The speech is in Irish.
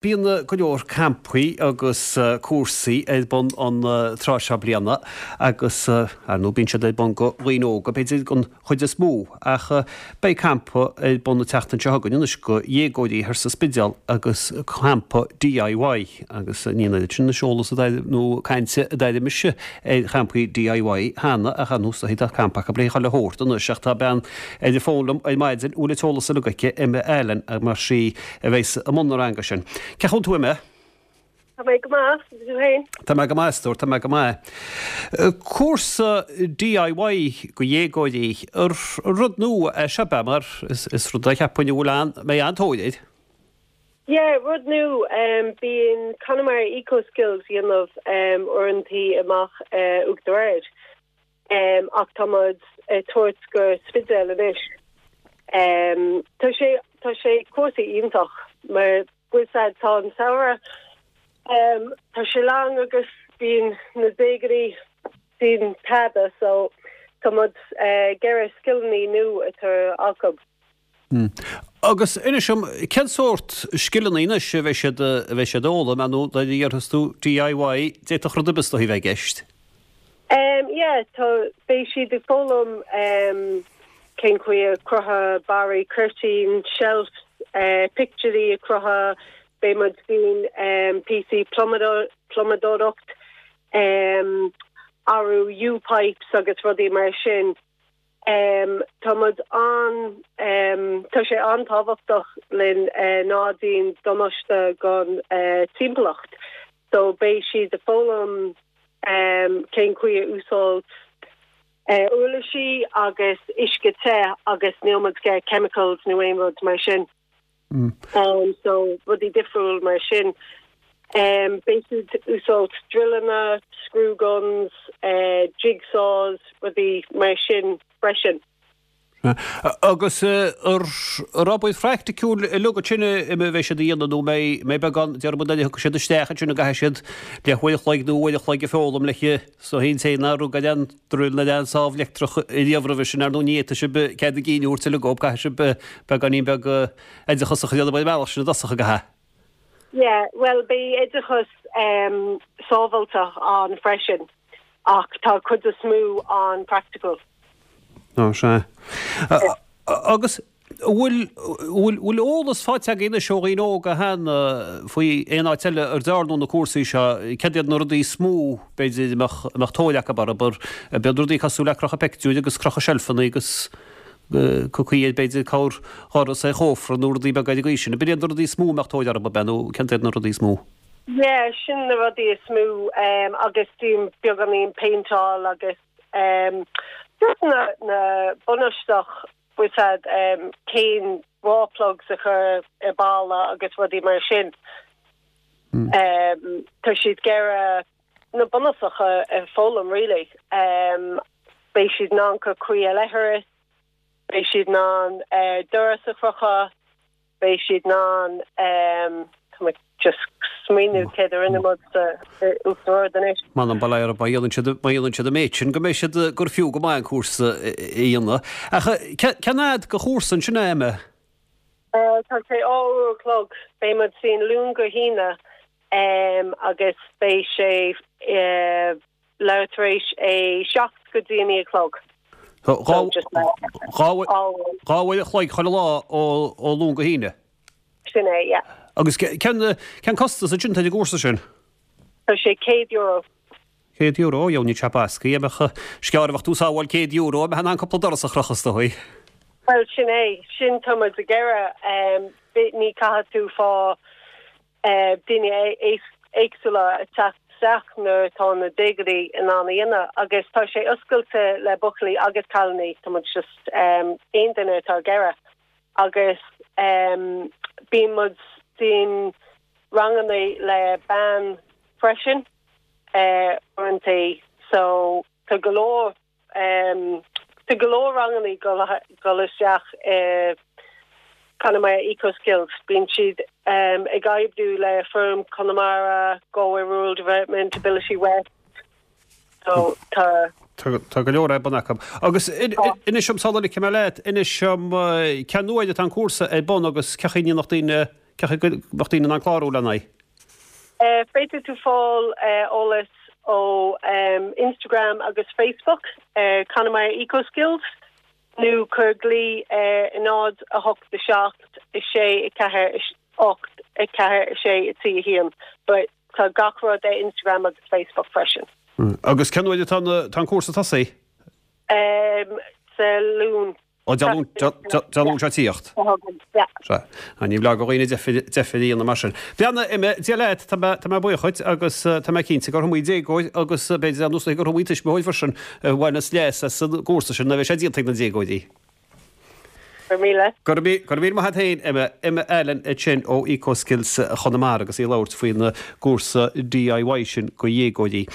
Bíonn go leor campaí agus cúrsaí ar bun an tráth seo bliana agus, ar ndóigh, bíonn siad ar bun go dhaoine óga, b'fhéidir, don chuid is mó. Ach beidh campa ar bun an tseachtain seo chugainn anois go dhéagóirí thoir sa Spidéal agus campa DIY agus ní an oiread sin anois eolas nó cainte a d'airigh mise ar champaí DIY cheana ach ar ndóigh tá campa acu le chuile shórt anois ach tá bean ar an bhfón liom ar maidin a bhfuil an t-eolas uilig aici, Emma Allen, mar sí a bheas i mbun na ranga sin. Cén chaoi a bhfuil tú, Emma? Tá mé go maith, agus tú féin? Tá mé go maith, a stór, tá mé go maith. Cúrsa DIY go dhéagóirí, rud nua é seo, ab ea, mar is rud é cheapfainn a bhfuil an, mbeidh an-tóir air. Yeah, rud nua. Bíonn Connemara Eco Skills a dhéanamh uaireantaí amach Uachtar Ard. Ach tá muid ag tabhairt go Spidéal anois. Tá sé, tá sé cúrsa iontach mar bhfuil 's a'd tá an samhradh, tá sé lán agus bíonn na déagóirí déan tada so tá muid ag iarraidh scileanna nua atá acu. Agus inis dom, cén sórt scileanna anois a bheidh siad, a bheidh siad a fhoghlaim, ar ndóigh nuair a déarfas tú DIY, d'fhéadfadh rud ar bith is dóichí a bheith i gceist? Em, yeah, tá, beidh siad ag foghlaim em cén chaoi a crochadh barraí cuirtín, shelves, eh pictiúirí a crochadh, beidh muid déan em píosaí plumadóireacht, em athrú U-pipes agus rudaí mar sin. Tá muid an, tá sé an-tábhachtach linn ná déan damáiste don timpeallacht so beidh siad ag foghlaim cén chaoi a úsáid uirlisí agus uisce te agus níl muid ag chemicals nó aon rud mar sin. So rudaí difriúil mar sin. Beidh siad úsáid drilleanna, screw guns, jigsaws, rudaí mar sin freisin. Agus ar obair phraiticiúil uilig ansin a bheidh siad a dhéanamh nó mbeidh beagán, déarfaidh muid nuair a thiocfaidh siad isteach ansin an gcaithfidh siad leathuair a chloig nó uair a chloig ag foghlaim le so an té nár rug ar an druil nó ar an sábh leictreach riamh roimhe sin, ar ndóigh ní fhéadfaidh sibh cead a gcinn a thabhairt uilig dóibh, caithfidh sibh beagáinín beag oideachas a dhéanamh ar an mbealach sin i dtosach, an gcaithfidh? Yeah, bhuel beidh oideachas sábháilteach ann freisin ach tá cuid is mó an-practical. Ó, sea. Agus An bhfuil, bhfuil, bhfuil eolas faighte agaibh anois ó dhaoine óga cheana faoi aon áit eile ar dearnadh na cúrsaí seo? Céard iad na rudaí is mó, b'fhéidir, a mbeadh, a mbeadh tóir acu orthu? Ab iad rudaí cosúil le crochadh peictiúir agus crochadh seilfeanna agus caoi ar, b'fhéidir, corrdhoras ar chófra nó rudaí beaga ar an gcaoi sin. Ab iad na rudaí is mó a mbeadh tóir orthu, ab ea, nó céard iad na rudaí is mó? Yeah, sin na rudaí is mó agus déan beagáinín péinteáil agus just na, na bunúsach bhfuil 's a'd cén raw plugs a chur i balla agus rudaí mar sin. Tá siad ag iarraidh na bunúsacha a foghlaim really. Beidh siad in ann cur caoi ar leithreas, beidh siad in ann doras a chrochadh, Beidh siad in ann, tá mé just smaoineamh céard a rinne muid sa Uachtar Ard anois. M'anam bail ó Dhia orthu, má dhéanann siad, má dhéanann siad an méid sin, go mbeidh siad, gur fiú go maith an cúrsa a dhéanamh. Ach cén fhad de chúrsa ansin é, Emma? Tá sé 2 uair a chlog. Beidh muid déan Luan go hAoine agus beidh sé leathuair tar éis a 7 go dtí a 9 a chlog. 2 uair a chloig chuile lá ó Luan go hAoine? Sin é, yeah. Agus cén costas ansin atá ar an gcúrsa sin? Tá sé €100. €100, ó dheabhail níl sé basctha. Bheadh, is gearr a bheadh tú ag sábháil €100, mbeifeá in ann cúpla doras a chrochadh is dóigh. Bhuel, sin é. Sin tá muid ag iarraidh. Ní caithfidh tú fá daoine éagsúla ag teacht isteach nuair atá na déagóirí in ann a dhéanamh agus tá sé oscailte le buachaillí agus cailíní, tá muid just aon duine atá ag iarraidh agus bíonn muid déan ranganna le bean freisin uaireanta so tá go leor Tá go leor ranganna ag dul isteach i Connemara Eco Skills. Bíonn siad ag oibriú le Feirm Chonamara, Galway Rural Development, Ability West. So tá. Tá go leor ar bun acu. Agus inis dom, sula ligfidh mé leat, inis dom cén uair atá an cúrsa ar bun agus cén chaoi a ndéanfadh daoine. Cén chaoi go mbeadh daoine in ann clárú lena aghaidh? Féadfaidh tú fáil eolas ó Instagram agus Facebook, Connemara Eco Skills, nó cuir glao ar 0 8 7 6 4 8 4 6 3 1. But tá gach rud ar Instagram agus Facebook freisin. Agus cén uair atá an cúrsa ag tosaí? Sa Luan. Ó, Dé Luain seo ag tíocht. Sea. Ní blag do dhaoine deifir a dhéanamh mar sin. Breathnaigh, Emma, Dia leat, tá mé, tá mé buíoch dhuit agus tá mé cinnte gur iomaí déagóir agus b'fhéidir ar nós gur iomaí tuismitheoir freisin a bhaineas leas as an gcúrsa sin, nuair a bheidh sé déanta ag na déagóirí. Go raibh míle. Go raibh, go raibh míle maith agat féin, Emma. Emma Allen ansin ó Eco Skills Chonamara agus í ag labhairt faoin gcúrsa DIY sin do dhéagóirí.